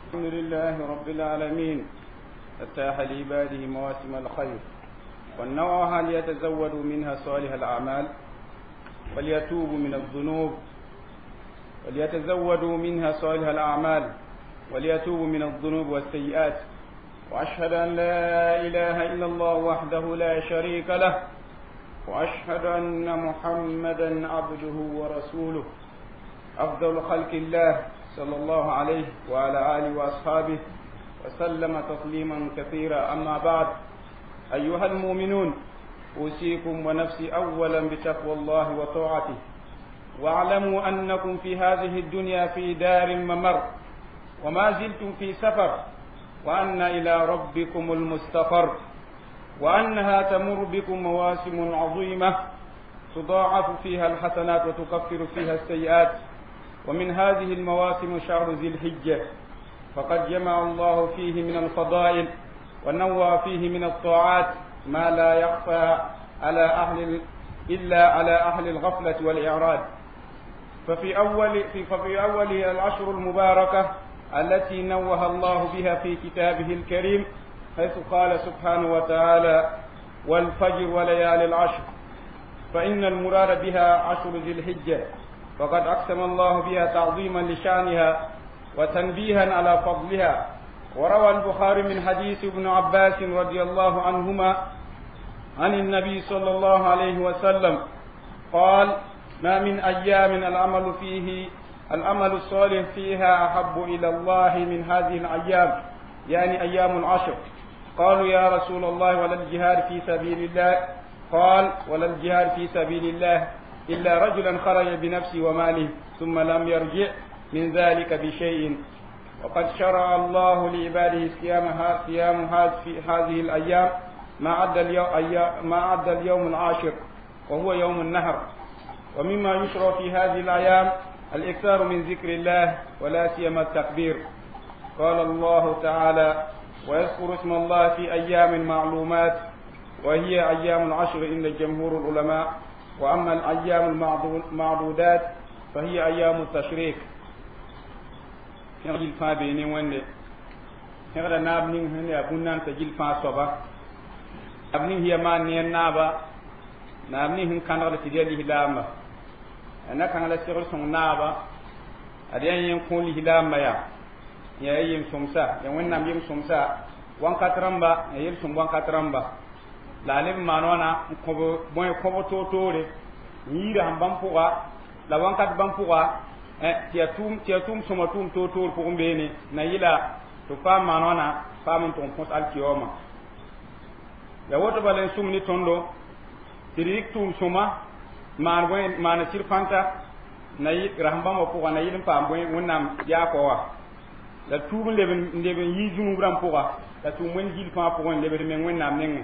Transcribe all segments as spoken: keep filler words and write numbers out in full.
الحمد لله رب العالمين أتاح لعباده مواسم الخير والنوعها ليتزودوا منها صالح الأعمال وليتوبوا من الذنوب وليتزودوا منها صالح الأعمال وليتوبوا من الذنوب والسيئات وأشهد أن لا إله إلا الله وحده لا شريك له وأشهد أن محمدا عبده ورسوله أفضل خلق الله صلى الله عليه وعلى آله وأصحابه وسلم تسليما كثيرا. أما بعد، أيها المؤمنون، أوصيكم ونفسي أولا بتقوى الله وطاعته، واعلموا أنكم في هذه الدنيا في دار الممر وما زلتم في سفر، وأن إلى ربكم المستقر، وأنها تمر بكم مواسم عظيمة تضاعف فيها الحسنات وتكفر فيها السيئات. ومن هذه المواسم شهر ذي الحجة، فقد جمع الله فيه من الفضائل ونوى فيه من الطاعات ما لا يخفى على أهل إلا على أهل الغفلة والإعراض. ففي أول في ففي أوله العشر المباركة التي نوه الله بها في كتابه الكريم، حيث قال سبحانه وتعالى: والفجر وليالي العشر، فإن المراد بها عشر ذي الحجة، فقد أقسم الله بها تعظيما لشأنها وتنبيها على فضلها. وروى البخاري من حديث ابن عباس رضي الله عنهما عن النبي صلى الله عليه وسلم قال: ما من أيام العمل فيه العمل الصالح فيها أحب إلى الله من هذه الأيام، يعني أيام العشر. قالوا: يا رسول الله، ولا الجهاد في سبيل الله؟ قال: ولا الجهاد في سبيل الله إلا رجلا خرج بنفسه وماله ثم لم يرجع من ذلك بشيء. وقد شرع الله لعباده صيام صيام في هذه الأيام ما عدا اليوم, ما عدا اليوم العاشر وهو يوم النهر. ومما يشرع في هذه الأيام الإكثار من ذكر الله ولا سيما التكبير. قال الله تعالى: ويذكر اسم الله في أيام معلومات، وهي أيام العشر عند جمهور العلماء. وأما الأيام المعدودات فهي أيام التشريك. Gil fãa bee ne wẽnde tẽgda naab ning sẽn yaa bũn-nan t'a gil fãa soaba naab ning yaa maan neer naaba naab ning sẽn kãnegd tɩ d yaa lislaamba a na-kãng la segr sõng naaba ad yaa yẽ n kõ lislaamba yaa yaa yem-sõmsa yaa wẽnnaam yem-sõmsa wãnkat rãmba yaa yel-sõm wãnkat rãmba la a leb n maan wãna n kõb bõe kõb toor-toore n yiida sẽn bãmb pʋga la wãnkat bãmb pʋga tɩ yaa tʋʋm tɩ yaa tʋʋm sõma tʋʋm toor-toor pʋgẽ beene na yɩla tɩ paam maan wãna paam n tʋg n põs alkiyooma ya woto bala n sʋm ne tõndo tɩ d rɩk tʋʋm sõma maan bõe maana sɩr fãnta na yɩ rasem bãmbã pʋga na yɩl n paam bõe wẽnnaam yaakɔ wa la tuub n leb n leb n yɩ zũnub rãmb pʋga la tʋʋm wẽnd gil fãa pʋgẽ n lebd meng wẽnnaam nengẽ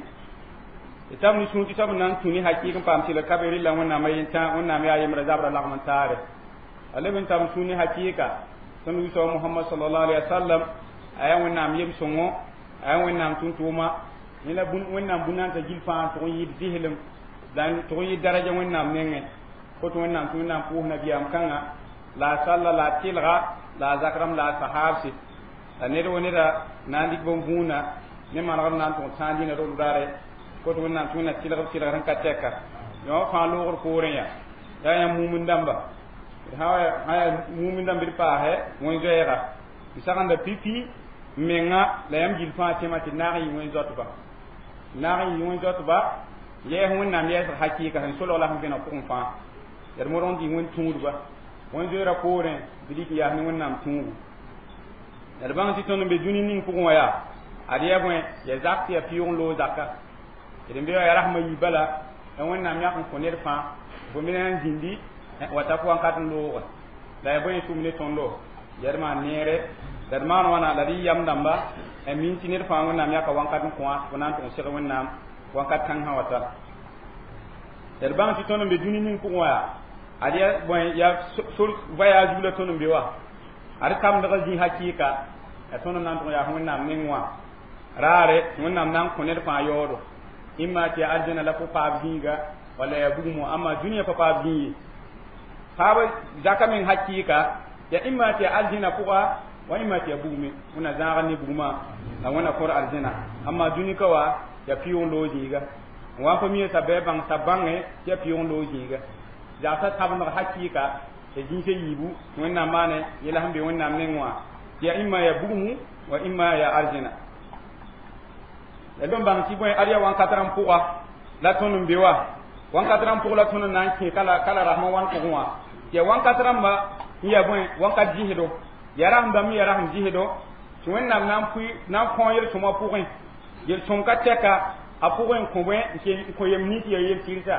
tɩ tab ne sũur tɩ tab n na n tũ ne hakɩɩk n paam sɩla ka be rɩla wẽnnaam a yentã wẽnnaam yaa yembra zabra lagm n taare a leb n tab n sũur ne hakɩɩka tõnd wilsa Mohamad sallallahu alaihi wasallam a yaa wẽnnaam yem-sõngo a yaa wẽnnaam tʋm-tʋʋma yẽ la wẽnnaam bũn-nantã gil fãa tʋg n yɩɩd zɩslem la tʋg n yɩɩd daraja wẽnnaam nengẽ koto wẽnnaam tɩ wẽnnaam pʋʋs nabiyaam kãngã la a salla la a tɩlga la a zak rãmb la a sahaabse la ned wo neda na n dɩk bõn-vũuna ne manegr na n tʋg n sãan dĩnã rol daare koto wẽnnaam tɩ wẽnna tɩlg b tɩlgr sẽn ka tɛka yõ fãa loogr poorẽ yaa yaa yãmb mumd dãmba sã yaa mumd dãmb d paasɛ wẽn-zoɛɛga n sagenda pipi menga la yãmb gil fãa tẽma tɩ naag n yɩ wẽn-zoatba naag n yɩ wẽn-zoatba yɛɛs wẽnnaam yɛɛsg hakɩɩka sẽn solg la sẽn vẽneg pʋgẽ fãa yaa d modg n dɩ wẽn-tũudba wẽn-zoeerã poorẽ bɩ dɩk n yaas ne wẽnnaam tũugu la d bãng tɩ tõnd n be dũni ning pʋgẽ wã yaa ad yaa bõe yaa zak tɩ yaa pɩʋg n loog zaka d n be wa yaa rasmã yi bala la wẽnnaam yãk n kõ ned fãa fo me na n zĩndi wata fo wãnkat n looge la yaa bõe n sʋm ne tõndo yaa d maan neere la d maan wãna la d yɩ yam dãmba n min tɩ ned fãa wẽnnaam yaka wãnkat n kõ fo na n tʋg n seg wẽnnaam wãnkat kãng sã wa ta la d bãng tɩ tõnd n be dũni ning pʋgẽ wã yaa ad yaa bõe yaa sor voyage la tõnd n be wa ad kamdg zĩ hakɩɩka ya tõnd n na n tʋg n yaas wẽnnaam neng wã raare wẽnnaam na n kõ ned fãa yaoodo imma tɩ yaa aljana la fo paab zĩiga wala yaa bugmo amma dũniyã pa paab zĩ ye paab zaka meng hakɩɩka ya imma tɩ yaa aljina pʋga Wa imma tɩ yaa bugme, wẽnna zãagr ne bugmã la wẽnna kõr arzẽna. Amma dũni ka wa yaa pɩʋʋg loog zĩiga n wa n pa mi sa bɩ bãng sa bãnge tɩ yaa pɩʋʋg loog zĩiga zagsã tabendg hakɩɩka ya zĩisã yiibu tɩ wẽnnaam maane yɛla sẽn be wẽnnaam neng wã tɩ yaa imma yaa bugmu wa imma yaa arzẽna. La d bãng tɩ bõe ad yaa wãnkat rãmb pʋga la tõnd n be wa wãnkat rãmb pʋg la tõnd n na n kẽ kala kala rasmã wãn pʋgẽ wã tɩ yaa wãnkat rãmba n yaa bõe wãnkat zɩsdo yaa rasem dãmb yaa rasem zɩsdo tɩ wẽnnaam na n pʋɩ na n kõ yel-sõmã pʋgẽ yel-sõm ka tɛka a pʋgẽ n kõ bõe n kõ yem nin tɩ yaa yel-tɩrsa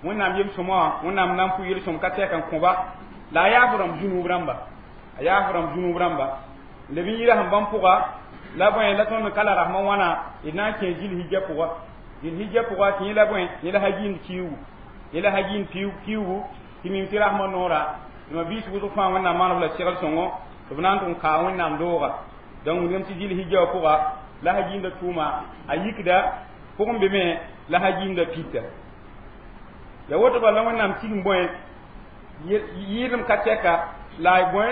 wẽnnaam yel-sõmã wã wẽnnaam na n pʋɩ yel-sõm ka tɛka n kõba la a yaaf rãmb zũnub rãmba a yaaf rãmb zũnub rãmba leb n yɩ rasem bãmb pʋga la bõe la tõnd ka la rasmã wãna d na n kẽ zilhija pʋga zilhija pʋga tɩ yẽla bõe yẽla hagind kiugu yẽla hagind kiugu tɩ mim tɩ rasmã noora tɩ ma biis wʋsg fãa wẽnnaam maan b la segl sõngo tɩ b na n tʋg n kaa wẽnnaam dooga. Donc wilgame tɩ zilhija wã pʋga la hagiinda tʋʋma a yikda pʋgẽ be me la hagiinda pita ya woto bala wẽnnaam tigim bõe yɩɩdem ka tɛka la a bõe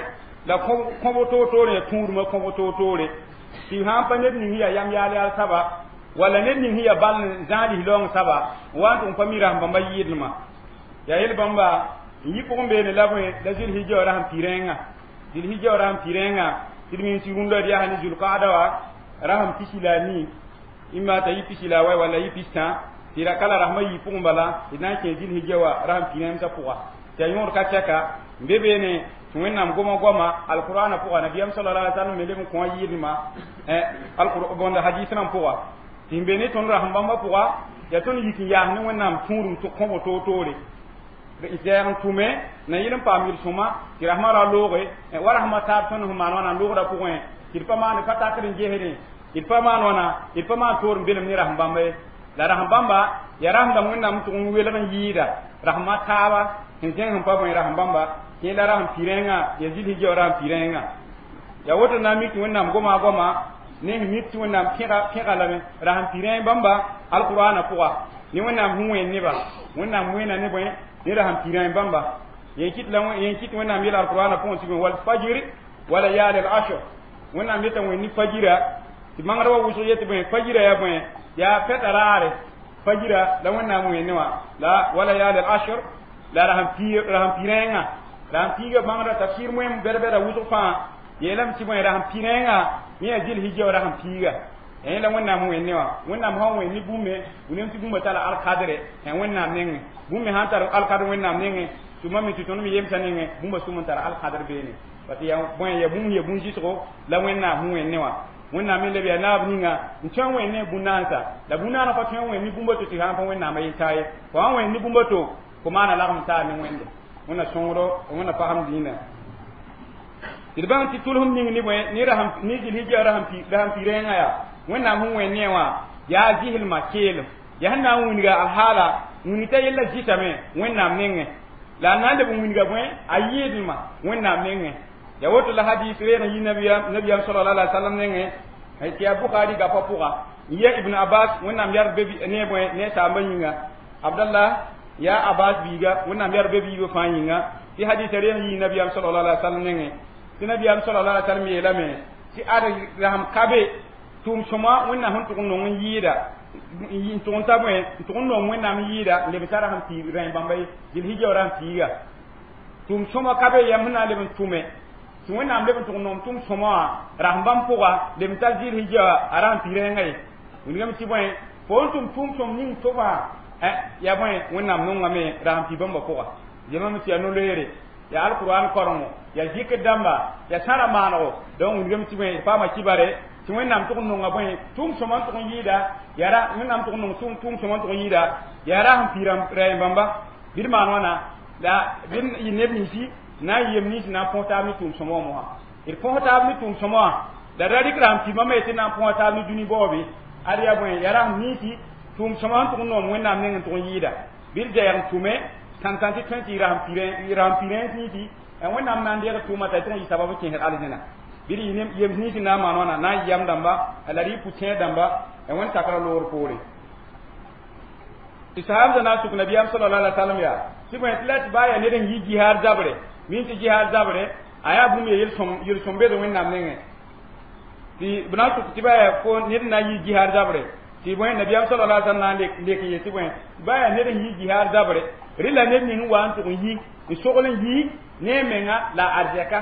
la kõbo toor-toore ya tũudmã kõbo toor-toore tɩ sã n pa ned ning yaa yam yaal yaal saba walla ned ning yaa bal n zãag lislaoong saba n wa n tʋg n pa mi rasem bãmba yɩɩdmã yaa yel bãmba n yi pʋgẽ beene la bõe la zilhija wã rasem pi-rẽengã zilhija wã rasem pi-rẽengã tɩ d mim tɩ rũndã d yaa ne zulkaada wã rasem pisi la a nii imma t'a yɩ pisi la a wɛ walla yɩ pistã tɩ ra ka la rasmã yii pʋgẽ bala d na n kẽ zilhija wã rasem pi-rẽemsã pʋga tɩ a yõod ka tɛka n be beene tɩ wẽnnaam goma goama alqur'ana pʋga nabiyam sallallahu alaihi wasallam me leb n kõ a yɩɩdmã bõnda hadis rãmb pʋga tɩ n be ne tõnd rasem bãmba pʋga yaa tõnd yik n yaas ne wẽnnaam tũudum kõbo toor-toore zɛɛg n tʋme na yɩl n paam yel-sõma tɩ rasmã ra looge wa rasmã taab tõnd sẽn maan wãna n loogda pʋgẽ tɩ d pa maan pa takd n gesdẽ d pa maan wãna d pa maan toor n belem ne rasem bãmba ye la rasem bãmba yaa rasem dãmb wẽnnaam tʋg n welg n yɩɩda rasmã taaba sẽn zẽng sẽn pa bõe rasem bãmba kẽ la rasem pi-rẽengã yaa zil-hijja wã rasem pi-rẽengã yaa woto na n mik tɩ wẽnnaam goma goama ne sẽn mik tɩ wẽnnaam pẽga lame rasem pi-rẽeng bãmba alqur'ana pʋga ne wẽnnaam sẽn wẽen neba wẽnnaam wẽena ne bõe ne rasem pi-rẽeng bãmba yẽ kɩt la yẽ kɩt wẽnnaam yel alqur'ana pʋgẽ tɩ wal fajr wala yaal al ashr wẽnnaam yeta wẽnd ne fajira tɩ maŋdbã wʋsg yetɩ bõe fajira yaa bõe yaa pɛta raare fajira la wẽnnaam wẽen wã la wala yaal al ashr la rasem pi rasem pi-rẽengã rasem piiga bãngda tafsir moem bɛd-bɛda wʋsg fãa yeelame tɩ bõe rasem pi-rẽengã yẽ yaa zil-hijja wã rasem piiga yẽ la wẽnnaam wẽnd wã wẽnnaam sã n wẽnd ne bũmbe wilame tɩ bũmba tara alkadre wẽnnaam nengẽ bũmbe sã n tar alkadr wẽnnaam nengẽ tʋma me tɩ tõnd me yemsã nengẽ bũmba sʋm n tara alkadr beene parce yaa bõe yaa bũmb yaa bũn-zɩsgo la wẽnnaam sẽn wẽnd ne wã wẽnnaam me leb yaa naab ninga n tõe n wẽnd ne bũn-naansa la bũn-naanã pa tõe n wẽnd ne bũmba to tɩ sã n pa wẽnnaamã yeta ye fo sã n wẽnd ne bũmba to fo maana lagem taa ne wẽnde wẽnna sõngdo wẽnna pasem dĩinã tɩ d bãng tɩ tʋlsem ning ne bõe ne rasem ne zil-hijja rasem pi-rẽengã yaa wẽnnaam sẽn wẽnd ne wã yaa zɩslmã keelem yaa sẽn na n wilga alhaala wilg t'a yella zɩtame wẽnnaam nengẽ la a na n leb n wilga bõe a yɩɩdlmã wẽnnaam nengẽ ya woto la hadis reeg n yi nabiyam nabiyam sallallahu alaihi wasallam nengẽ tɩ yaa bukhari gapa pʋga n yɛ ibn abbas wẽnnaam yar be ne bõe ne saamba yĩnga abdallah ya abbas biiga wẽnnaam yar be biibã fãa yĩnga tɩ hadisa reeg n yi nabiyam sallallahu alaihi wasallam nengẽ tɩ nabiyam sallallahu alaihi wasallam yeelame tɩ ad rasem ka be tʋʋm sõma wẽnnaam sẽn tʋg n nong n yɩɩda n tʋg n ta bõe n tʋg n nong wẽnnaam n yɩɩda n leb t'a rasem pii rẽen bãmba ye zil-hijja wã rasem piiga tʋʋm sõma ka be yam sẽn na n leb n tʋme tɩ wẽnnaam leb n tʋg n nom tʋʋm sõma wã rasem bãmb pʋga leb n tar zil-hijja wã a rasem pi-rẽengã ye wilgame tɩ bõe fo n tʋm tʋʋm sõm ning tʋba yaa bõe wẽnnaam nongame rasem pi bãmba pʋga zemame tɩ yaa no-loeere yaa alqur'an korengo yaa zikr dãmba yaa sãra maanego donc wilgame tɩ bõe paama kibare tɩ wẽnnaam tʋg n nonga bõe tʋʋm sõma n tʋg n yɩɩda yaa ra wẽnnaam tʋg n nong tʋʋm sõma n tʋg n yɩɩda yaa rasem pi rẽen bãmba bɩ d maan wãna la bɩ yɩ neb ninsi na n yem nins na n põs taab ne tʋʋm sõma wã mosã d põs taab ne tʋʋm sõma wã la ra rɩk rasem pi bãmba yetɩ na n põs taab ne dũni baoobe ad yaa bõe yaa rasem ninsi tʋʋm sõma sẽn tʋg n noom wẽnnaam neng n tʋg n yɩɩda bɩ d zɛɛg n tʋme tãn-tãn tɩ tõe tɩ rasem pi rẽens ninsi wẽnnaam na n deeg tʋʋma t'a tʋg n yɩ sabab n kẽesd alzẽna bɩ d yems ninsi na n maan wãna na n yam dãmba la d yɩ pʋ-tẽeg dãmba wẽnd sakra loor poore tɩ sahabzã na n sʋk nabiyam sallallahu alaihi wasallam yaa tɩ bõe tɩ la tɩ baa yaa ned n yi jihaad zabre min tɩ jihaad zabre A yaa bũmb ya yel-sõm bed Wẽnnaam nengẽ tɩ b na n sʋk tɩ ba yaa fo ned na n yi jihaad zabre tɩ bõe nabiyaam sallallahu alaihi wasallam na n lek n yet tɩ bõe ba yaa ned n yi jihaad zabre rɩla ned ning n wa n tʋg n yi n sogl n yi ne a menga la a arzɛka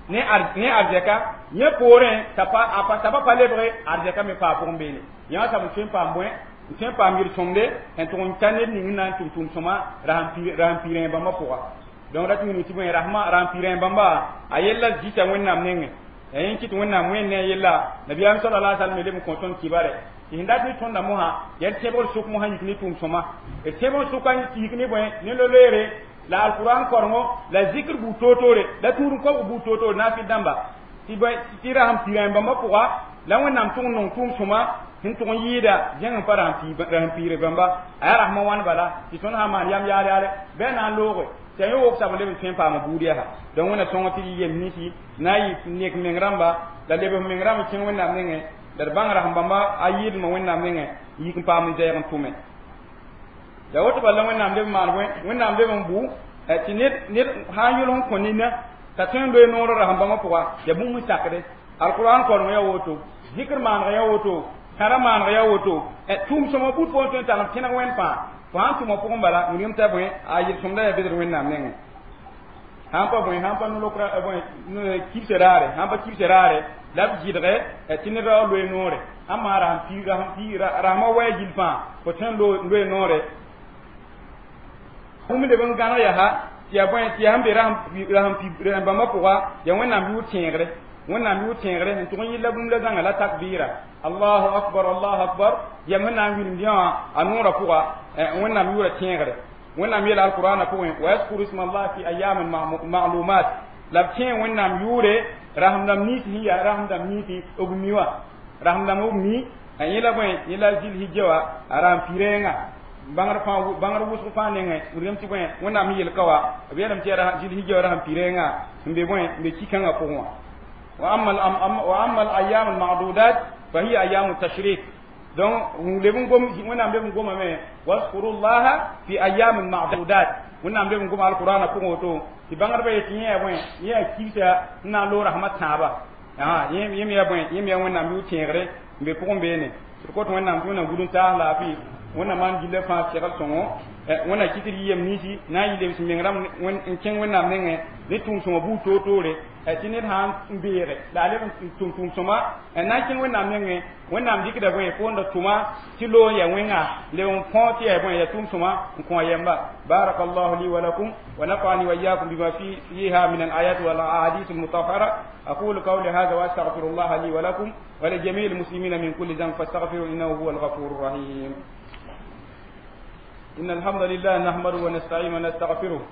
ne arzɛka yẽ poorẽ t'a pa pa lebge arzɛka me paa pʋgẽ beene yã sab n tõe n paam bõe n tõe n paam yel-sõmde n tʋg n ta ned ning n na n tʋm tʋʋm-sõma rasam piirẽ bãmba pʋga. Donc rat wilg tɩ bõe rasma rasam piirẽ bãmba a yella zita Wẽnnaam nengẽ ya yẽ kɩt Wẽnnaam wẽnd ne a yella nabiyaam sallallahu alaihi wasallam leb n kõ tõnd kibare tɩ sẽn dat ne tõnda mosã yaa d tẽbgr sʋk mosã yik ne tʋʋm-sõma d tẽbgr sʋka yik ne bõe ne lo-loeere la alquran korengo la zikr buud toor-toore la tũud n kobg buud toor-toore naafɩl dãmba tɩ tɩ rasam piirã bãmba pʋga la Wẽnnaam tʋg n nong tʋʋm-sõma sẽn tʋg n yɩɩda zẽng n pa rasam piire bãmba a yaa rasmã wãn bala tɩ tõnd sã n maan yam yaal yaale bɩ a na n looge tɩ a yẽ wok sab n leb n tõe n paama buud yaa. Donc Wẽnna sõng tɩ yɩ yem ninsi na n yɩ nek meng rãmba la lebs meng rãmb n kẽng Wẽnnaam nengẽ la d bãng rasem bãmba a yɩɩdmã Wẽnnaam nengẽ n yik n paam n zɛɛg n tʋme la woto bala Wẽnnaam leb n maan bõe Wẽnnaam leb n bʋ tɩ ned ned sã n yʋls n kõ nina t'a tõe n loe noor rasem bãmbã pʋga ya bũmb n sakde alquran korengo ya woto zikr maaneg ya woto tãra maaneg ya woto tʋʋm-sõma bud fo n tõe n tall n tẽneg wẽnd fãa fo sãn tʋma pʋgẽ bala wilgem t'a bõe a yel-sõmda yaa bed Wẽnnaam nengẽ sãn pa bõe sãn pa nolokra bõe kibsã raare sãn pa kibsã raare la b zɩlge tɩ ned ra loe noore sãn maan rasmã waya gill fãa fo tõe n loe noore bũmb leb n gãneg yaa tɩ yaa bõe tɩ yaa sẽn be rasam bãmbã pʋga yaa Wẽnnaam yʋʋr tẽegre Wẽnnaam yʋʋr tẽegre n tʋg n yɩlla bũmb la zãnga la takbira allahu akbar allahu akbar yam sẽn na n wilmd yã wã a noorã pʋga Wẽnnaam yʋʋra tẽegre Wẽnnaam yeela alqurana pʋgẽ wa yaskuru isma allah fi ayamin ma'lumat la b tẽe Wẽnnaam yʋʋre rasem dãmb niisi sẽn yaa rasem dãmb niisi b mi wã rasem dãmb b mi a yẽla bõe yẽla zil hijja wã a rasam piirẽengã bãngr fãa bãngr wʋsg fãa nengẽ wilgame tɩ bõe Wẽnnaam sẽn yel ka wa b yeelame tɩ yaa zil hijja wã rasam piirẽengã sẽn be bõe n be ki-kãngã pʋgẽ wã. وأما الأيام المعدودات فهي أيام التشريك. Donc leb n gom Wẽnnaam leb n gomame واذكروا الله في أيام معدودات Wẽnnaam leb n goma alqurana pʋgẽ woto tɩ bãngdbã yetɩ yẽ yaa bõe yẽ yaa kibsa n na n loog rasmã tãaba yẽ me yaa bõe yẽ me yaa Wẽnnaam yʋʋr tẽegre n be pʋgẽ beene tɩ d kot Wẽnnaam tɩ Wẽnnaam gũud n taas laafɩ Wẽnnaam maan gilla fãa segl sõngo Wẽnnaam kɩt d yɩ yem ninsi na n yɩ lebs meng rãmb n kẽng Wẽnnaam nengẽ ne tʋʋm-sõma buud toor-toore tɩ ned sã n beege la a leb n tʋm tʋʋm-sõma n na n kẽng Wẽnnaam nengẽ Wẽnnaam dɩkda bõe foonda tʋma tɩ loog n yaa wẽnga leb n fõ tɩ yaa bõe yaa tʋʋm-sõma n kõ a yɛmba. بارك الله لي ولكم ونفعني وإياكم بما فيها من الآيات والأحاديث المطهرة. أقول قولي هذا وأستغفر الله لي ولكم ولجميع المسلمين من كل ذنب فاستغفروا إنه هو الغفور الرحيم. إن الحمد لله نحمده ونستعينه ونستغفره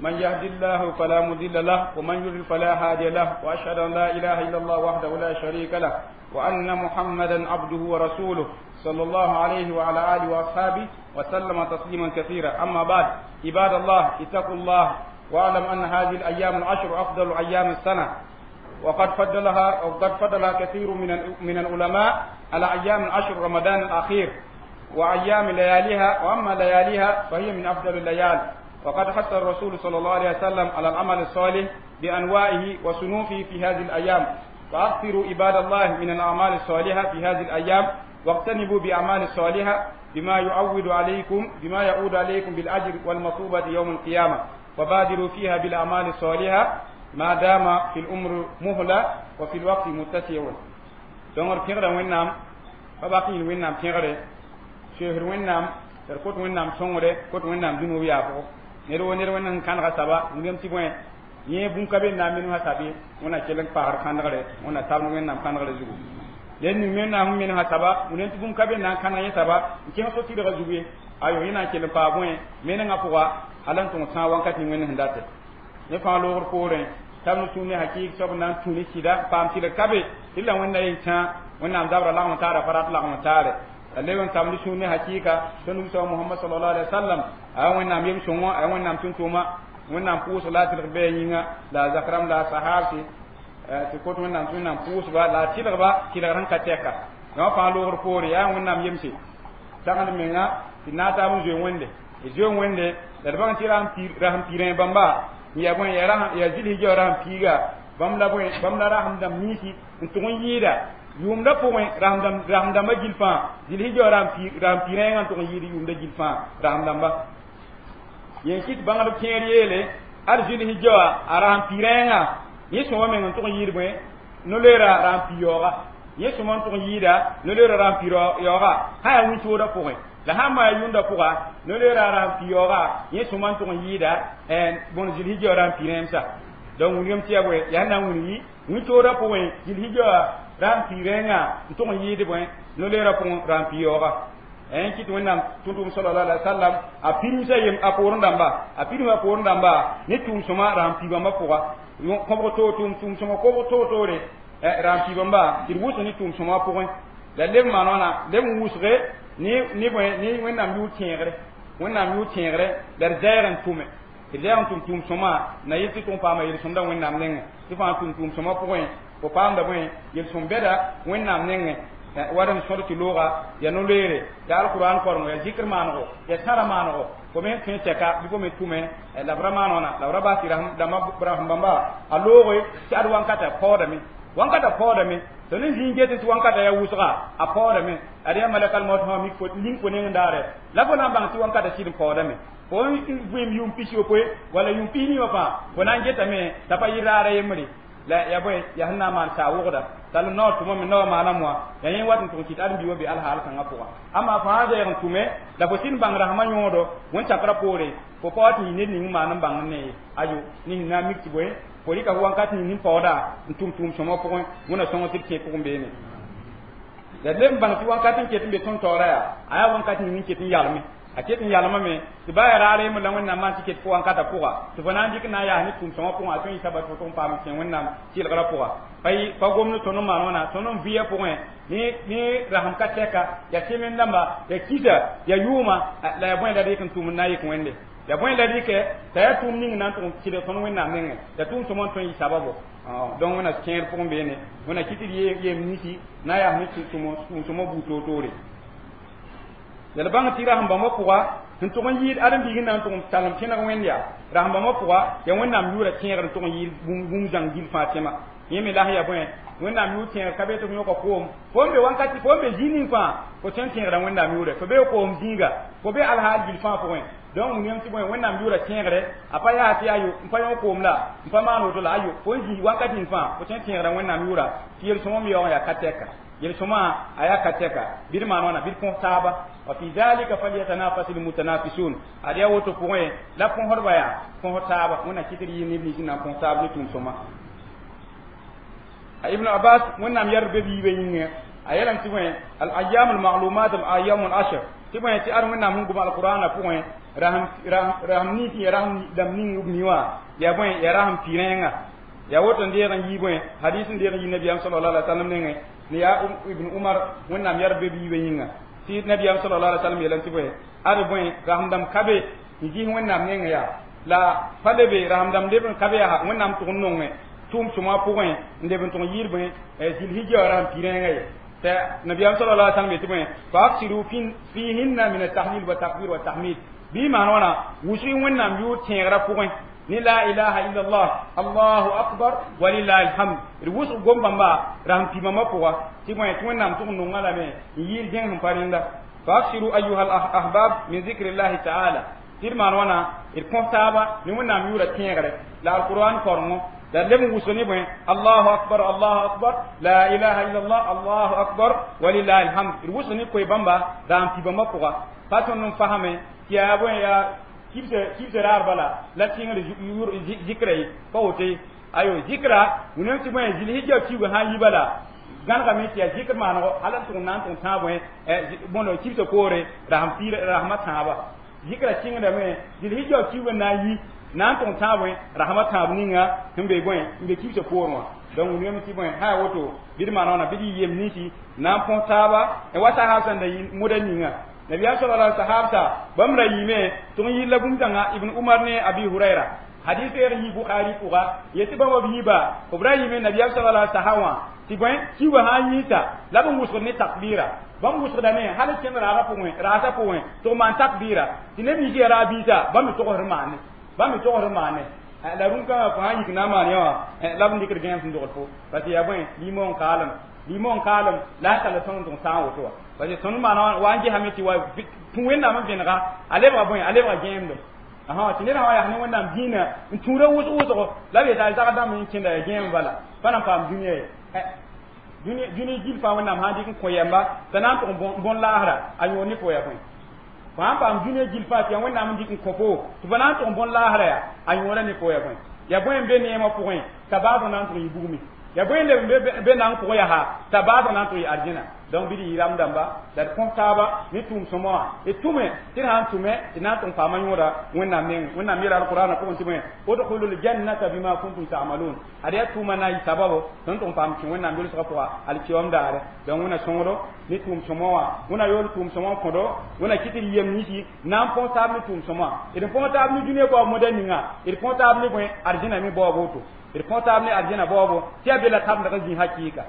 من يهد الله فلا مضل له ومن يضلل فلا هادي له وأشهد أن لا إله إلا الله وحده لا شريك له وأن محمدا عبده ورسوله صلى الله عليه وعلى آله وأصحابه وسلم تسليما كثيرا. أما بعد عباد الله اتقوا الله واعلم أن هذه الأيام العشر أفضل أيام السنة وقد فضلها وقد فضلها كثير من من العلماء على أيام عشر رمضان الأخير وأيام لياليها وأما لياليها فهي من أفضل الليال. وقد حث الرسول صلى الله عليه وسلم على العمل الصالح بأنواعه وصنوفه في هذه الأيام. فأكثروا عباد الله من الأعمال الصالحة في هذه الأيام واغتنبوا بأعمال الصالحة بما يعود عليكم بما يعود عليكم بالأجر والمثوبة يوم القيامة وبادروا فيها بالأعمال الصالحة ما دام في الأمر مهلة وفي الوقت متسع. Donc pẽgda Wẽnnaam pa bak yĩn Wẽnnaam pẽgre seosd Wẽnnaam tɩ d kot Wẽnnaam sõngre kot Wẽnnaam dũnug yaafgo ned wo ned Wẽnd sẽn kãnega saba wilgame tɩ bõe yẽ bũn ka be n na n menem sã sabe Wẽnna kell n paasd kãndgre Wẽnna tabd Wẽnnaam kãndgre zugu ned ning me na n menesã saba wilgame tɩ bũmb ka be n na n kãneg yẽ saba n kẽng so tɩrgã zugu ye ayo yẽ na n kell n paa bõe menengã pʋga ala n tõg sãag wãnkat ning Wẽnd sẽn date ne fãa loogr poorẽ tab ne tũ ne hakɩɩk soab na n tũ ne sɩda paam tɩrg ka be tɩ la Wẽnna yen tã Wẽnnaam zabra lagm taara pa rat lagm taare la leb n tabd sũur ne hakɩɩka tõnd Wisa Mohamad sallallahu alaihi wasallam a Wẽnnaam yem sõngõ a Wẽnnaam tʋm-tʋʋma Wẽnnaam pʋʋsg la a tɩlg bɩ a yĩnga la a zak rãmb la a sahaabse tɩ kot Wẽnnaam tɩ Wẽnnaam pʋʋsba la a tɩlgba tɩlgr sẽn ka tɛka yã fãa loogr poore yaa Wẽnnaam yemse sagend menga tɩ naag taab n zoe Wẽnde d zoe Wẽnde la d bãng tɩ rasam piirẽ bãmba Ya bõe ya ya zilhija rasem piiga bãmb la bõe bãmb la rasem dãmb ninsi n tʋg n yɩɩda yʋʋmda pʋgẽ rasem dãmbã gill fãa zilhija rasem pi rẽengã n tʋg n yɩɩd yʋʋmda gill fãa rasem dãmba yen kɩt bãngd kẽer yeele ad zilhija wã a rasem pi rẽengã yẽ sõma meng n tʋg n yɩɩd bõe no-loeera rasem pi yaooga yẽ sõma n tʋg n yɩɩda no-loeera rasem pi yaooga sã yaa wĩntoodã pʋgẽ la sãn maa yʋnda pʋga no-loeera rasem pi yaooga yẽ sõma n tʋg n yɩɩda bõn zilhija rasem pi rẽemsa donc wilgame tɩ yaa bõe yaa na n wilgi wĩntoodã pʋgẽ zilhija rasem pi rẽengã n tʋg n yɩɩd bõe no-loeera pʋgẽ rasem pi yaooga n kɩt wẽnnaam tʋm-tʋm sallallahu alaihi wasallam a pirimsa yem a poorẽ dãmba a pirim a poorẽ dãmba ne tʋʋm-sõma rasem pi bãmba pʋga kõbg toor tʋʋm-sõma kobg toor-toore rasem pi bãmba tɩ d wʋsg ne tʋʋm-sõma pʋgẽ la leb maan wãna leb n wʋsge ne ne bõe ne wẽnnaam yʋʋr tẽegre wẽnnaam yʋʋr tẽegre la d zɛɛg n tʋme d zɛɛg n tʋm tʋʋm-sõma na yel tɩ tʋg n paama yel-sõmda wẽnnaam nengẽ tɩ fãa tʋm tʋʋm-sõma pʋgẽ fo paamda bõe yel-sõm bɛda wẽnnaam nengẽ wa d sõd tɩ looga ya no-loeere ya alquran korengo ya zikr maanego ya sãra maanego fo me tõe tɛka bɩ fo me tʋme la b ra maan wãna la b ra bas tɩ dãmbã rasem bãmba a looge tɩ ad wankata paoodame wankata paoodame tɩ ne zĩig get tɩ wankata yaa wʋsga a paoodame ad yaa malakal maut sã mik ning fo neng daare la fo na n bãng tɩ wankata sɩd n paoodame fo n vɩɩm yʋʋm pis yopoe wala yʋʋm pis niima fãa fo na n getame t'a pa yɩ raara yembre la ya bõe yaa sẽn na n maan saa wʋgda tall naoor tʋmame naoor maana moa yaa yẽ wat n tʋg n kɩt ãdem-bi wã be alhaal kãngã pʋga amma fãa zɛɛg n tʋme la fo sɩd n bãng rasmã yõodo wẽn-chakrã poore fo pa wa tɩ yɩ ned ning n maan n bãng ne ye ayo ne sẽn na n mik tɩ bõe fo rɩka fo wankat ning n paooda n tʋm tʋʋm-sõmã pʋgẽ wẽna sõng tɩ d kẽ pʋgẽ beene la leb n bãng tɩ wankat n ket n be tõnd taoora yaa a yaa wankat ning n ket n yalme a ket n yalmame tɩ baa ya raar yembr la wẽnnaam maan tɩ ket fo wankata pʋga tɩ fo na n dɩk na n yaas ne tʋʋm-sõmã pʋgẽ a tõe n yɩ sabat fo tʋg n paam kẽ wẽnnaam tɩlgrã pʋga pa pa gomd tõnd n maan wãna tõnd n vɩya pʋgẽ ne ne rasem ka tɛka ya sẽmen dãmba ya kisa ya yʋʋma la ya bõe la rɩk n tʋm n na n yɩk wẽnde ya bõe la rɩkɛ t'a yaa tʋʋm ning na n tʋg n tɩlg tõnd wẽnnaam nengẽ ya tʋʋm sõma n tõe n yɩ sababo donc wẽna kẽer pʋgẽ beene wẽna kɩ tɩ d yem nisi na n yaas ne tʋʋm-sõma buud toor-toore la d bãng tɩ rasem bãmbã pʋga sẽn tʋg n yɩɩd ãdem-biig n na n tʋg n talem tẽneg wẽnd yaa rasem bãmbã pʋga yaa wẽnnaam yʋʋra tẽegr n tʋg n yɩɩd bũmb zãng gill fãa tẽma yẽ me las yaa bõe wẽnnaam yʋʋr tẽegr ka be tɩ f yõka koom fo n be wankati fo n be zĩ ning fãa fo tõe n tẽegra wẽnnaam yʋʋre fo be koom zĩiga fo be alhaal gill fãa pʋgẽ donc wilgame tɩ bõe wẽnnaam yʋʋra tẽegre a pa yaa tɩ ayo n pa yõ koom la n pa maan woto la ayo fo n zĩ wakat ning fãa fo tõe n tẽegra wẽnnaam yʋʋra tɩ yel-sõma me yaoog n yaa ka tɛka yel-sõma a yaa ka tɛka bɩ d maan wãna bɩ d põs taaba wa fi zalika falyatanafasil mutanafisun ad yaa woto pʋgẽ la põsdba yaa põs taaba wẽnna kɩt d yɩ neb nins n na n põs taab ne tʋʋm-sõma a ibn abbas wẽnnaam yɛr be biibã yĩngã a yeelame tɩ bõe al ayam al malumat al ayam al ashr tɩ bõe tɩ ad wẽnnaam sẽn gom alqurana pʋgẽ rasem nins ya rasem dãmb ning b mi wã yaa bõe yaa rasem pi rẽenga yaa woto n deeg n yɩ bõe hadis n deeg n yɩ nabiyaam sallallahu alaihi wasallam nengẽ ne yaa ibn umar wẽnnaam yɛr be biibã yĩnga tɩ nabiyaam sallallahu alaihi wasallam yeelame tɩ bõe ad bõe rasem dãmb ka be n zĩis wẽnnaam nengẽ yaa la pa lebe rasem dãmb leb n ka be yaa wẽnnaam tʋg n nongẽ tʋʋm sõma pʋgẽ n leb n tʋg n yɩɩd bõe zilhija rasem pi rẽengã ye nabiyaam sallallahu alaihi wasallam yetɩ bõe faaksiru fihinna min atahlil wa takbir wa tahmid bɩ maan wãna wʋsg wẽnnaam yʋʋr tẽegrã pʋgẽ ni la ilaha illallah allahu akbar walillahi alhamd d wʋsg gom bãmba rasem pi bãmba pʋga tɩ bõe tɩ wẽnnaam tʋg n nonga lame n yɩɩd zẽng sẽn pa rẽnda faaksiru ayuha alahbab min zikrillahi taala tɩ d maan wãna d kõs taaba ne wẽnnaam yʋʋra tẽegre la alquran korengo la leb n wʋsg ne bõe allahu akbar allahu akbar la ilaha illallah allahu akbar walillahi alhamd d wʋsg ne koe bãmba raam pi bãmba pʋga pa tõnd n fasame tɩ yaa bõe yaa kibsã raar bala la tẽngr zikra ye pa woto ye ayo zikra wẽnnaam tɩ bõe zilhija kiuga sã n yi bala gãnegame tɩ yaa zikr maanego hal n tʋg n na n tʋg tãag bõe bõndo kibsã poore rasem piir rasmã tãaba zikra kẽngdame zilhija kiuga na n yi na n tʋg tãag bõe rasmã tãab ninga sẽn be bõe n be kibsã poorẽ wã donc wilgame tɩ bõe sã yaa woto bɩ d maan wãna bɩ d yɩ yem ninsi na n põs taaba wa sahab sẽn da yɩ moda ninga nabiyaam sallallahu alaihi wasallam bãmb ra yɩɩme tʋg n yɩ la bũmb zãnga ibn umar ne abi huraira hadis er yɩ bukhari pʋga yetɩ bãmb b yiiba b ra yɩme nabiyaam sallallahu alaihi wasallam wã tɩ bõe kiuga sã n yĩsa la b n wʋsgd ne takbira bãmb wʋsgdame hal kẽnd raagã pʋgẽ raasã pʋgẽ tɩ b maan takbira tɩ neb nins yaa raab biisa bãmb me togsd maane bãmb me togsd maane La rũm-kãngã fo sã n yik na n maan yã wã, la b dɩkd gẽem sẽn dogl fo, parce que yaa bõe, limon kaalem, limon kaalem la a tall tõnd n tʋg sã n woto wã, parce que tõnd maana wa n gesame tɩ wa tũ Wẽnnaam n vẽnega, a lebga bõe, a lebga gẽemdem tɩ ned sã wa yaa ne Wẽnnaam dĩinã n tũuda wʋsg wʋsgo la b yeta a zag dãmb n kẽnda ya gẽem bala pa na n paam dũniyã ye. Dũni gil fãa Wẽnnaam sã n dɩk n kõ yɛmba t'a na n tʋg bõn-laasra, a yõor ne fo ya bõe? Fo sãn paam dũniyã gil fãa tɩ yaa Wẽnnaam n dɩk n kõ fo tɩ fo na n tʋg bõn-laasra yaa, a yõora ne fo ya bõe? Ya bõe n be neemã pʋgẽ t'a baasg na n tʋg yɩ bugme? Ya bõe n leb be nang pʋgẽ yaa t'a baasg na n tʋg yɩ arjẽna? Donc bɩ d yɩ rãmb dãmba la d kõs taaba ne tʋʋm sõma wã, d tʋme tɩ d sãn tʋme d na n tʋg paama yõoda Wẽnnaam nengẽ. Wẽnnaam yeela alqurana pʋgẽ tɩ bõe, udkhulu ljannata bima kuntum ta'malun. Ad yaa tʋʋma na n yɩ sababo tõnd tʋg n paam kẽ Wẽnnaam yʋlsgã pʋga alkiyoom daare. Donc Wẽnna sõngdo ne tʋʋm sõma wã, Wẽnna yool tʋʋm sõma n kõdo, Wẽnna kɩt d yem ninsi na n põs taab ne tʋʋm sõma. D põs taab ne dũniyã baoob moda ninga, d põs taab ne bõe, arjẽna me baoob woto, d põs taab ne arjẽna baoobo tɩ yaa be la tabdg zĩ hakɩɩka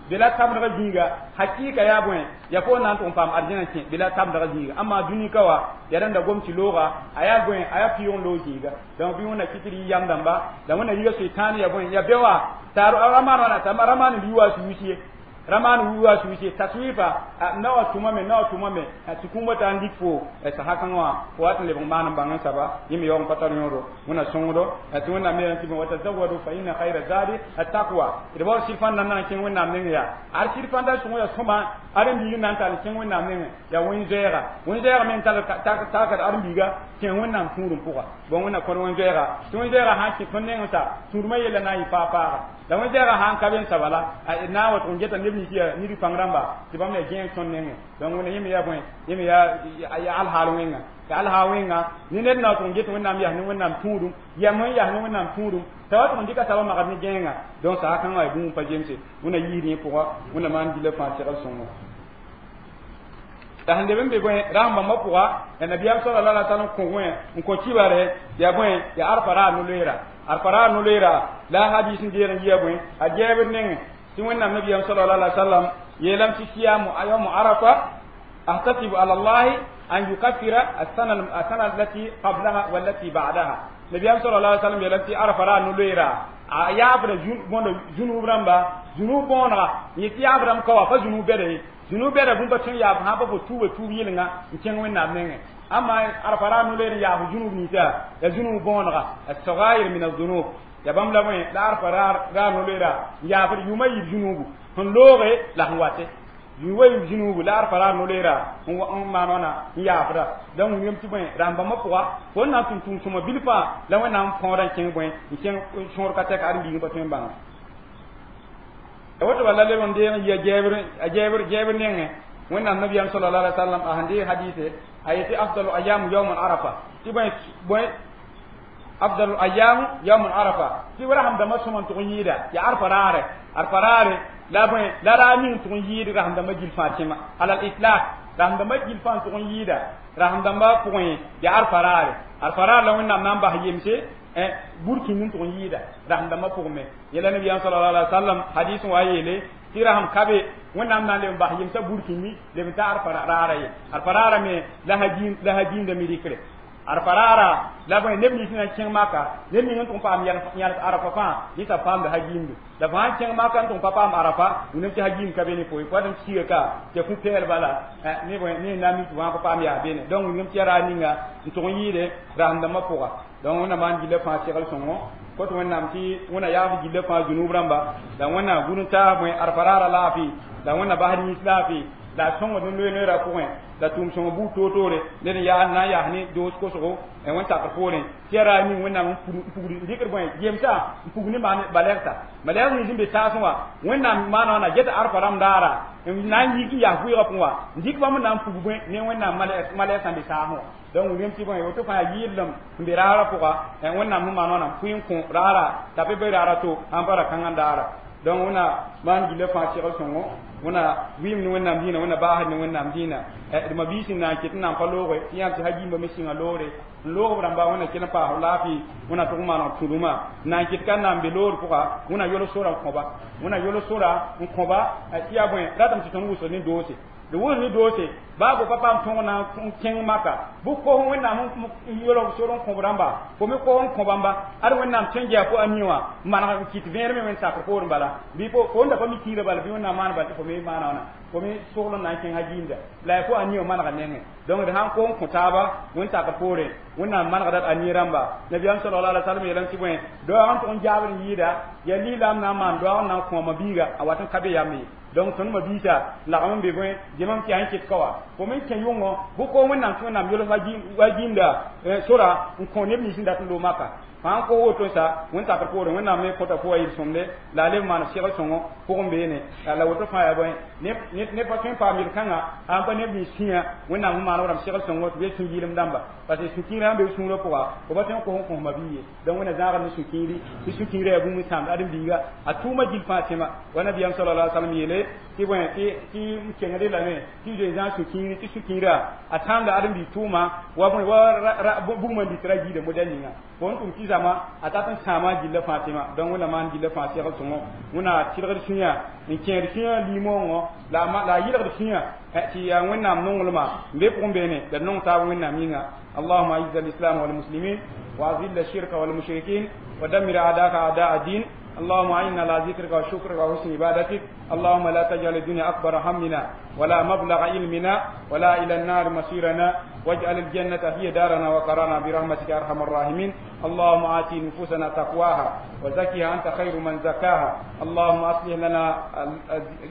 bela tabdg zĩiga. Hakɩɩka yaa bõe, yaa fo na n tʋg n paam arjẽna kẽ bela tabdg zĩiga. Amma dũni ka wa yaa rãnda gom tɩ looga, a yaa bõe, a yaa pɩʋg n loog zĩiga. Donc bɩ Wẽnna kɩt d yɩ yam dãmba la Wẽnna yiga soetãan ya bõe, ya be wa t'a ra maan wãna t'a ra maan n wa sũus ye, ra maan wa sũus ye taswifa na wa tʋma me, na wa tʋma me tɩ kũumã t'a n lik fo sasa kãngã wã fo wat n lebg n maan n bãng n saba yẽ me yaoog n pa tar yõodo. Wẽnna sõngdo tɩ Wẽnnaam me tɩ wa tazawadu fa inna khayra zadi attaqwa. D bao sɩr fãn na n kẽng Wẽnnaam nengẽ yaa ad sɩr fãn da sõng ya sõma aren-biig n na n tall kẽng Wẽnnaam nengẽ yaa wẽn-zoɛɛga, wẽn-zoɛɛga me n tall takd aren-biiga kẽng Wẽnnaam tũudum pʋga. Bon, Wẽnna kõd wẽn-zoɛɛga tɩ wẽn-zoɛɛga sãn kẽ tõnd nengẽ sa tũudmã yella na n yɩ faa-faaga la wẽn-zoɛɛga sãn ka be n saba la na n wa tʋg n geta neb nins yaa nid pãng rãmba tɩ bãmb yaa gẽeg tõnd nengẽ. Donc Wẽnna yẽ me yaa bõe, yẽ me yaa alhaal wẽnga, tɩ alhaal wẽnga ne ned na tʋg n get Wẽnnaam yas ne Wẽnnaam tũudum, yam n yas ne Wẽnnaam tũudum t'a wa tʋg n dɩka saba magd ne gẽenga. Donc saa kãngã yaa bũmb pa zemse. Wẽnna yiisd yẽ pʋga, Wẽnna maan gilla fãa segl sõngo la sẽn leb n be bõe rasem bãmbã pʋga ya nabiyaam sallallahu alaihi wasallam kõ wẽ n kõ kibare yaa bõe, yaa arfa raar no-loeera, arfa raar no-loeera la a hadis n deeg n yia bõe, a gɛɛbd nengẽ tɩ Wẽnnaam nabiyaam sallallahu alaihi wasallam yeelame tɩ siyamu yawmu arafa ahtasibu ala llahi an yukaffira السنة السنة التي قبلها والتي بعدها. Nabiyaam sallallahu alaihi wasallam yeelame tɩ arfa raar no-loeera a yaabra bõndo zunub rãmba, zunub bõonega yẽ tɩ yaab ka wa pa zunub bɛda ye, zunub bɛda bũmb pa tõe n yaab sã pa fo tuuba tuub yɩlenga n kẽng Wẽnnaam nengẽ. Amma arfa raar no-loeer n yaab zunub ninsã ya zunub bõonega الصغائر من الذنوب ya bãmb la bõe la arfa raar no-loeera n yaafd yʋʋma yiib zunubu sẽn looge la sẽn wate yʋʋma yiib zunubu la arfa raar no-loeera n maan wãna n yaafda. Donc wilgame tɩ bõe rasem bãmbã pʋga fo n na n tʋm tũum sõma bil fãa la Wẽnnaam põoda n kẽng bõe n kẽng sõor ka tɛk aren-biig pa tõe n bãnga woto bala leb n deeg n yi a gɛɛbr a gɛɛbr gɛɛbr nengẽ. Wẽnnaam nabiyaam sallallahu alaihi wasallam a sẽn deeg hadise a yetɩ afdalu ayamu yawmun arafa tɩ bõe bõe afdalu ayamu yawmun arafa tɩ rasem dãmbã sõma n tʋg n yɩɩda ya arfa raare, arfa raare la bõe la raar ning n tʋg n yɩɩd rasem dãmbã gil fãa kẽma alal itlaq, rasem dãmbã gil fãa n tʋg n yɩɩda rasem dãmbã pʋgẽ ya arfa raare, arfa raar la Wẽnnaam na n bas yemse burkĩnd n tʋg n yɩɩda rasem dãmbã pʋgẽ me yela nabiyaam sallallahu alaihi wasallam hadis n wa yeele tɩ rasem ka be Wẽnnaam na n leb n bas yemsã burkĩndi leb n ta arfa raara ye, arfa raara me la la hajiinda me rɩkre arfa raara la bõe neb nins na n kẽng maka, neb ning n tʋg n paam yãls arafa fãa yẽ paamda hajiimdu la fo sãn kẽng maka n tʋg n pa paam arafa wẽnnaam tɩ hajiim ka be ne fo wat n siga ka tɩ kũ pɛɛl bala ne bõe ne na n mi tɩ fo sãn pa paam yaa beene. Donc wilgame tɩ ya raar ninga n tʋg n yɩɩde rasem dãmbã pʋga. Donc Wẽnna maan gilla fãa segl sõngo kot Wẽnnaam tɩ Wẽnna yaaf gilla fãa zunub rãmba la Wẽnna gũud n taas bõe arfa raara laafɩ la Wẽnna basd yĩns laafɩ la sõngd n loe noeera pʋgẽ la tʋʋm sõng buud toor-toore ned n yaa na n yaas ne doos kosgo wẽn takr poorẽ tɩ ya raar ning Wẽnnaam n pugd n dɩkd bõe yemsa n pug ne balɛgsa malɛg nins n be saasẽ wã Wẽnnaam maana wãna get arfa rãmb daara n na n yik n yaas vɩɩgã pʋgẽ wã n dɩk bãmb n na n pug bõe ne Wẽnnaam malɛg sã n be saasẽ wã. Donc wilgame tɩ bõe woto fãa yɩɩdlem n be raarã pʋga Wẽnnaam sẽn maan wãna n pʋɩ n kõ raara t'a pe be raara to sãn pa ra kãngã daara. Donc Wẽnna maan gilla fãa segl sõngo, Wẽnna vɩɩm ne Wẽnnaam dĩinã, Wẽnna baasd ne Wẽnnaam dĩinã d ma biis n na n ket n na n pa looge tɩ yãmb tɩ hajiimba me sɩngã loore n loog b rãmba Wẽnna kell n paas b laafɩ, Wẽnna tʋg n maaneg tũudmã n na n ket ka n na n be loor pʋga Wẽnna yol sora n kõba, Wẽnna yol sora n kõba tɩ yaa bõe ratame tɩ tõnd wʋsg ne doose. d wʋsd ne doose baa fo pa paam tõog na n kẽng maka bʋ kos wẽnnaam n yolg sor n kõ rãmba fo me kos n kõ bãmba ad wẽnnaam tõe n gea fo a ni wã n maneg n kɩt vẽer me wẽn sakr poorẽ bala bɩ fo n da pa mi kiirã bala bɩ wẽnnaam maan bala tɩ fo me maana wãna fo me sogl n na n kẽng a gĩinda la ya fo a ni wã manega nengẽ donc d sãn kos n kõ taaba wẽn sakr poorẽ wẽnnaam manegda a ni rãmba nabiyaam sallallahu alaihi wasallam yeelame tɩ bõe doaag n tʋg n jaabd n yɩɩda yaa lislaam na n maan doaag n na n kõ ma biiga a wat n ka be yam ye donc tõnd ma biisa lagm n be bõe gemam tɩ yaa n ket ka wa fo me kẽ yʋngõ bʋ ko wẽnnaam tɩ wẽnnaam yols wa gĩinda sora n kõ neb nins n dat n loog maka fãa n kos woto sa wẽn sakr poorẽ wẽnnaam me kõta fo wa yel-sõmde la a leb maan segl sõngo pʋgẽ beene la woto fãa yaa bõe neb pa tõe n paam yel-kãngã sãn pa neb nins sũyã wẽnnaam sẽn maan rãmb segl sõngo tɩ be sũ-yɩɩlem dãmba parce que sũ-kiirã sãn be sũurã pʋga fo pa tõe n kos n kõs ma-bi ye donc wẽnna zãagd ne sũ-kiiri tɩ sũ-kiirã yaa bũmb n sãamd ãdem-biiga a tʋʋma gill fãa tẽma wa nabiyaam sallallahu alaihi wasallam yeele tɩ bõe tɩ tɩ n kengde lame tɩ zoe zãag sũ-kiiri tɩ sũ-kiirã a sãamda ãdem-biig tʋʋma wa bõe wa bugmã litra giida modɛl ninga fo n tʋm tɩ zama a tat n sãama gilla fãa tẽma donc wẽnna maan gilla fãa segl sõngo wẽnna tɩlgd sũyã n kẽed sũyã limoongõ la la a yɩlgd sũyã tɩ yaa wẽnnaam nonglmã n be pʋgẽ beene la d nong taab wẽnnaam yĩnga اللهم اعز الاسلام والمسلمين واذل الشرك والمشركين ودمر اعداءك اعداء الدين اللهم اعنا على ذكرك وشكرك وحسن عبادتك اللهم لا تجعل الدنيا اكبر همنا ولا مبلغ علمنا ولا الى النار مصيرنا واجعل الجنة هي دارنا وقرارنا برحمتك يا ارحم الراحمين اللهم آت نفوسنا تقواها وزكها انت خير من زكاها اللهم اصلح لنا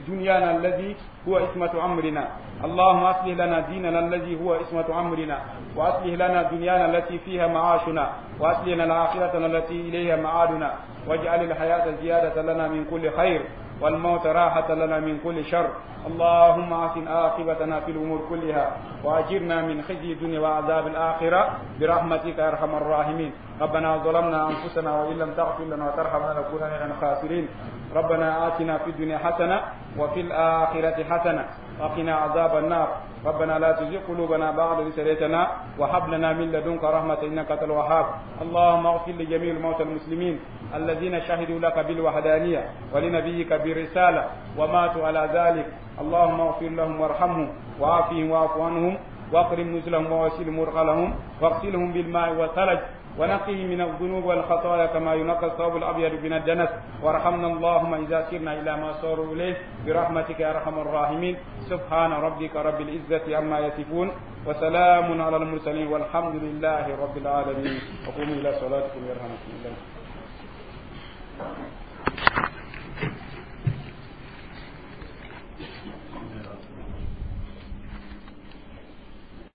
دنيانا الذي هو عصمة امرنا اللهم اصلح لنا ديننا الذي هو عصمة امرنا واصلح لنا دنيانا التي فيها معاشنا واصلح لنا اخرتنا التي اليها معادنا واجعل الحياة زيادة لنا من كل خير والموت راحة لنا من كل شر اللهم أحسن عاقبتنا في الأمور كلها وأجرنا من خزي الدنيا وعذاب الآخرة برحمتك يا أرحم الراحمين ربنا ظلمنا أنفسنا وإن لم تغفر لنا وترحمنا لنكونن من الخاسرين ربنا آتنا في الدنيا حسنة وفي الآخرة حسنة وقنا عذاب النار ربنا لا تزغ قلوبنا بعد إذ هديتنا وهب لنا من لدنك رحمة إنك أنت الوهاب اللهم اغفر لجميع الموتى المسلمين الذين شهدوا لك بالوحدانية ولنبيك بالرسالة وماتوا على ذلك اللهم اغفر لهم وارحمهم وعافهم واعف عنهم واكرم نزلهم ووسع مدخلهم واغسلهم بالماء والثلج ونقهم من الذنوب والخطايا كما ينقى الثوب الابيض من الدنس وارحمنا اللهم اذا سرنا الى ما صاروا اليه برحمتك يا ارحم الراحمين سبحان ربك رب العزه عما يصفون وسلام على المرسلين والحمد لله رب العالمين وقوموا الى صلاتكم يرحمكم الله.